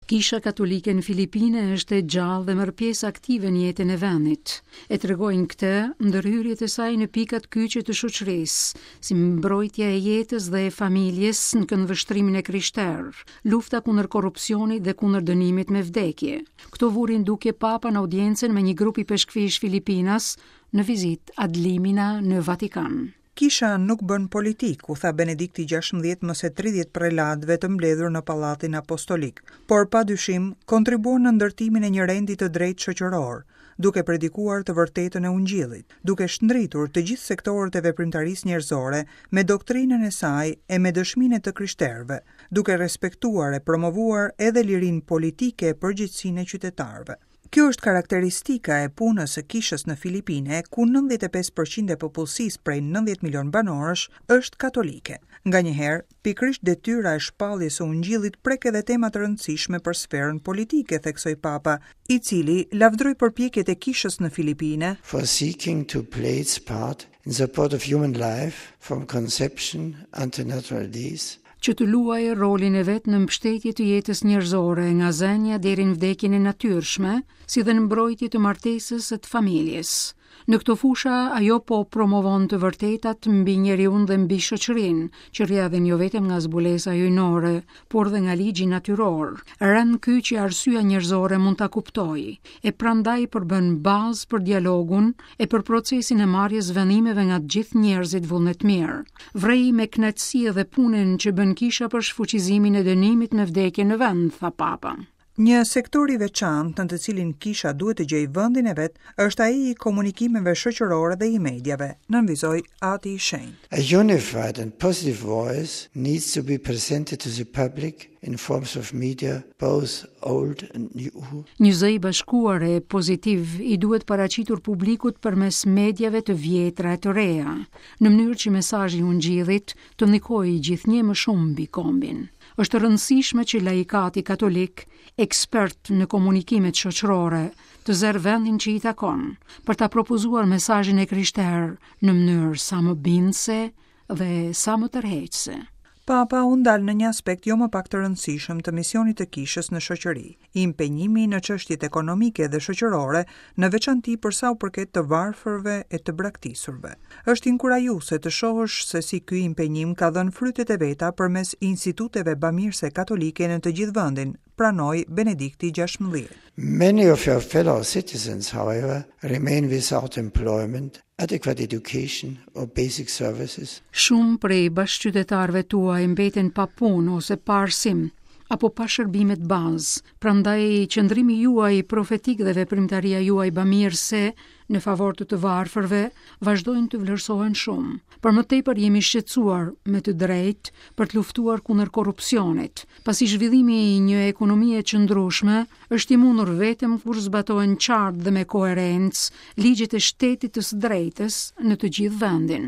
Kisha Katolike në Filipine është e gjallë dhe merr pjesë aktive në jetën e vendit. E tregojnë këtë ndërhyrjet e saj në pikat kyçe të shoqërisë, si mbrojtja e jetës dhe e familjes në këndvështrimin e krishterë, lufta kundër korrupsionit dhe kundër dënimit me vdekje. Këto vuri në dukje Papa në audiencën me një grup ipeshkvijsh filipinas në vizitë ad limina në Vatikan. Kisha nuk bën politikë, u tha Benedikti 16 më se 30 prelatëve të mbledhur në Pallatin Apostolik, por pa dyshim kontribuon në ndërtimin e një rendi të drejtë shoqëror, duke predikuar të vërtetën e Ungjillit, duke shndritur të gjithë sektorët e veprimtarisë njerëzore me doktrinën e saj e me dëshminë e të krishterëve, duke respektuar e promovuar edhe lirinë politike e përgjegjësinë e qytetarëve. Kjo është karakteristika e punës së kishës në Filipine, ku 95% e popullsisë prej 90 milion banorësh është katolike. Nganjëherë, pikërisht detyra e shpalljes së Ungjillit prek edhe tema të rëndësishme për sferën politike, theksoi Papa, i cili lavdëroi përpjekjet e kishës në Filipine for seeking to play its part in support of human life from conception unto natural death, që të luajë rolin e vet në mbështetje të jetës njerëzore nga zënia deri në vdekjen e natyrshme, si dhe në mbrojtje të martesës e të familjes. Në këto fusha ajo po promovon të vërtetat mbi njeriun dhe mbi shoqërinë, që rrjedhin jo vetëm nga zbulesa hyjnore, por dhe nga ligji natyror, rend ky që arsyeja njerëzore mund ta kuptojë, e prandaj përbën bazë për dialogun e për procesin e marrjes vendimeve nga të gjithë njerëzit vullnetmirë. Vërej me kënaqësi edhe punën që bën kisha për shfuqizimin e dënimit me vdekje në vend, tha Papa. Një sektor i veçantë në të cilin kisha duhet të gjejë vendin e vet është ai i komunikimeve shoqërore dhe i mediave, nënvizoi Ati i Shenjtë. A unified and positive voice needs to be presented to the public in forms of media, both old and new. Një zë i bashkuar e pozitiv i duhet paraqitur publikut përmes mediave të vjetra e të reja, në mënyrë që mesazhi i Ungjillit të ndikojë gjithnjë më shumë mbi kombin. Është e rëndësishme që laikati katolik, ekspert në komunikimet shoqërore, të zërë vendin që i takon, për ta propozuar mesazhin e krishterë në mënyrë sa më bindëse dhe sa më tërheqëse. Papa u ndal në një aspekt jo më pak të rëndësishëm të misionit të kishës në shoqëri, impenjimi në çështjet ekonomike dhe shoqërore, në veçanti për sa u përket të varfërve e të braktisurve. Është inkurajuese të shohësh se si ky impenjim ka dhënë frytet e veta përmes instituteve bamirëse katolike në të gjithë vendin, pranoi Benedikti XVI. Many of your fellow citizens, however, remain without employment, adequate education or basic services. Shumë prej bashkëqytetarëve tuaj mbeten pa punë ose pa arsim apo pa shërbimet bazë. Prandaj qëndrimi juaj profetik dhe veprimtaria juaj bamirëse në favor të të varfërve vazhdojnë të vlerësohen shumë. Për më tepër jemi shqetësuar me të drejtë për të luftuar kundër korrupsionit, pasi zhvillimi i një ekonomie të qëndrueshme është i mundur vetëm kur zbatohen qartë dhe me koherencë ligjet e shtetit të së drejtës në të gjithë vendin.